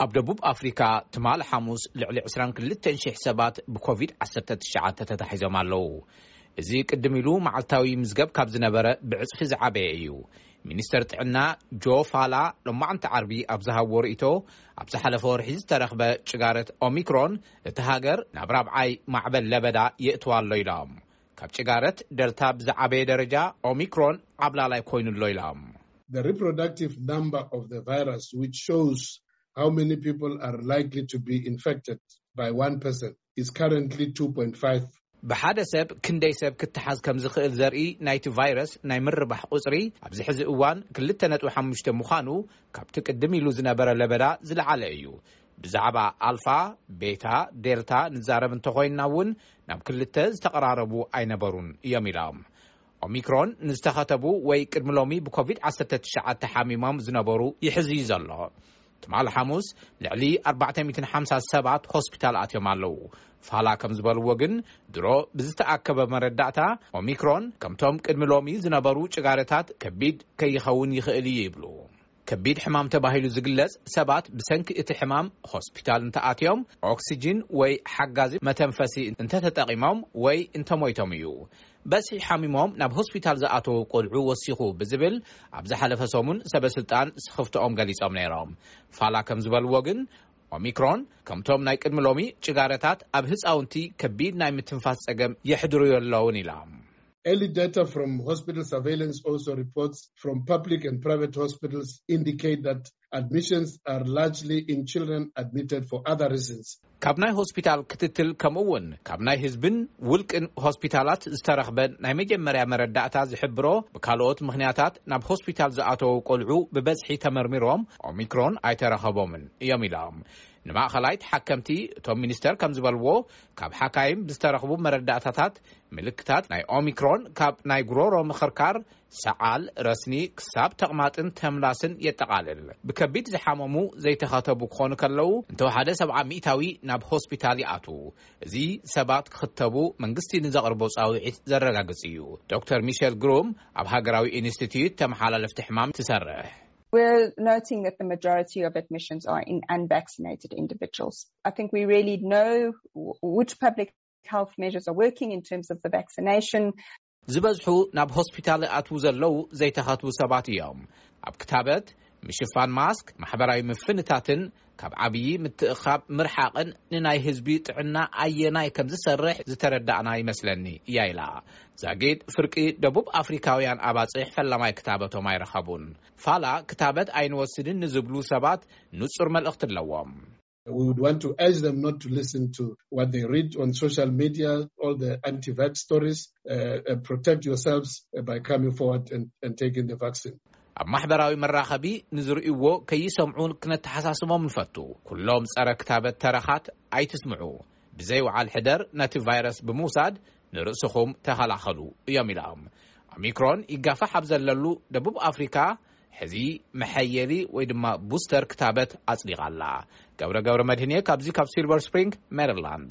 ኣብ ደቡብ ኣፍሪካ ትማል ሓሙስ ልዕሊ ዕስራን ክልተን ሽሕ ሰባት ብኮቪድ ዓሰርተ ትሽዓተ ተታሒዞም ኣለዉ። እዚ ቅድም ኢሉ መዓልታዊ ምዝገብ ካብ ዝነበረ ብዕጽፊ ዝዓበየ እዩ። ሚኒስተር ጥዕና ጆ ፋላ ሎማዕንቲ ዓርቢ ኣብ ዝሃብዎ ርእይቶ፣ ኣብ ዝሓለፈ ወርሒ ዝተረኽበ ጭጋረት ኦሚክሮን እቲ ሃገር ናብ ራብዓይ ማዕበል ለበዳ የእትዋ ኣሎ ኢሎም። ካብ ጭጋረት ደልታ ብዝዓበየ ደረጃ ኦሚክሮን ዓብላላይ ኮይኑ ኣሎ ኢሎም። The reproductive number of the virus, which shows how many people are likely to be infected by one person, is currently two point five. ብሓደ ሰብ ክንደይ ሰብ ክትሓዝ ከም ዝኽእል ዘርኢ ናይቲ ቫይረስ ናይ ምርባሕ ቁጽሪ ኣብዚ ሕዚ እዋን ክልተ ነጥቢ ሓሙሽተ ምዃኑ፣ ካብቲ ቅድም ኢሉ ዝነበረ ለበዳ ዝለዓለ እዩ። ብዛዕባ ኣልፋ፣ ቤታ፣ ዴልታ ንዛረብ እንተኾይንና እውን ናብ ክልተ ዝተቐራረቡ ኣይነበሩን እዮም ኢሎም። ኦሚክሮን ንዝተኸተቡ ወይ ቅድሚ ሎሚ ብኮቪድ ዓሰርተ ትሽዓተ ሓሚሞም ዝነበሩ ይሕዝ እዩ ዘሎ። ትማል ሓሙስ ልዕሊ ኣርባዕተ ሚእትን ሓምሳ ሰባት ሆስፒታል ኣትዮም ኣለዉ። ፋላ ከም ዝበልዎ ግን፣ ድሮ ብዝተኣከበ መረዳእታ ኦሚክሮን ከምቶም ቅድሚ ሎሚ ዝነበሩ ጭጋረታት ከቢድ ከይኸውን ይኽእል እዩ ይብሉ። ከቢድ ሕማም ተባሂሉ ዝግለጽ ሰባት ብሰንኪ እቲ ሕማም ሆስፒታል እንተኣትዮም፣ ኦክሲጅን ወይ ሓጋዚ መተንፈሲ እንተተጠቒሞም ወይ እንተሞይቶም እዩ። በዝሒ ሓሚሞም ናብ ሆስፒታል ዝኣተዉ ቆልዑ ወሲኹ ብዝብል ኣብ ዝሓለፈ ሰሙን ሰበ ስልጣን ስኽፍትኦም ገሊጾም ነይሮም። ፋላ ከም ዝበልዎ ግን፣ ኦሚክሮን ከምቶም ናይ ቅድሚ ሎሚ ጭጋረታት ኣብ ህፃውንቲ ከቢድ ናይ ምትንፋስ ጸገም የሕድሩ የለውን ኢላ። Early data from hospital surveillance also reports from public and private hospitals indicate that admissions are largely in children admitted for other reasons. ካብ ናይ ሆስፒታል ክትትል፣ ከምኡ እውን ካብ ናይ ህዝብን ውልቅን ሆስፒታላት ዝተረኽበ ናይ መጀመርያ መረዳእታ ዝሕብሮ፣ ብካልኦት ምኽንያታት ናብ ሆስፒታል ዝኣተዉ ቆልዑ ብበዝሒ ተመርሚሮም ኦሚክሮን ኣይተረኸቦምን እዮም ኢሎም። ንማእኸላይ ተሓከምቲ፣ እቶም ሚኒስተር ከም ዝበልዎ፣ ካብ ሓካይም ብዝተረኽቡ መረዳእታታት፣ ምልክታት ናይ ኦሚክሮን ካብ ናይ ጉሮሮ ምኽርካር፣ ሰዓል፣ ረስኒ ክሳብ ተቕማጥን ተምላስን የጠቓልል። ብከቢድ ዝሓመሙ ዘይተኸተቡ ክኾኑ ከለዉ፣ እንተወሓደ ሰብዓ ሚእታዊ ናብ ሆስፒታል ይኣትዉ። እዚ ሰባት ክኽተቡ መንግስቲ ንዘቕርቦ ጻውዒት ዘረጋግጽ እዩ። ዶክተር ሚሸል ግሩም ኣብ ሃገራዊ ኢንስቲትዩት ተመሓላለፍቲ ሕማም ትሰርሕ። We're noting that the majority of admissions are in unvaccinated individuals. I think we really know w- which public health measures are working in terms of the vaccination. ዝበዝሑ ናብ ሆስፒታል ይኣትዉ ዘለዉ ዘይተኸትቡ ሰባት እዮም። ኣብ ክታበት፣ ምሽፋን ማስክ፣ ማሕበራዊ ምፍንታትን ካብ ዓብዪ ምትእኻብ ምርሓቕን ንናይ ህዝቢ ጥዕና ኣየናይ ከም ዝሰርሕ ዝተረዳእና ይመስለኒ እያ ኢላ። ዛጊድ ፍርቂ ደቡብ ኣፍሪካውያን ኣባፅሕ ፈላማይ ክታበቶም ኣይረኸቡን። ፋላ ክታበት ኣይንወስድን ንዝብሉ ሰባት ንጹር መልእኽቲ ኣለዎም። We would want to urge them not to listen to what they read on social media, all the anti-vax stories. Uh, uh, protect yourselves, uh, by coming forward and, and taking the vaccine. ኣብ ማሕበራዊ መራኸቢ ንዝርእይዎ ከይሰምዑ ክነተሓሳስቦም ንፈቱ። ኩሎም ጸረ ክታበት ተረኻት ኣይትስምዑ። ብዘይ ወዓል ሕደር ነቲ ቫይረስ ብምውሳድ ንርእስኹም ተኸላኸሉ እዮም ኢሎም። ኦሚክሮን ይጋፋሕ ኣብ ዘለሉ ደቡብ ኣፍሪካ፣ ሕዚ መሐየሊ ወይ ድማ ቡስተር ክታበት ኣጽዲቓ ኣላ። ገብረ ገብረ መድህንየ ካብዚ ካብ ሲልቨር ስፕሪንግ ሜሪላንድ።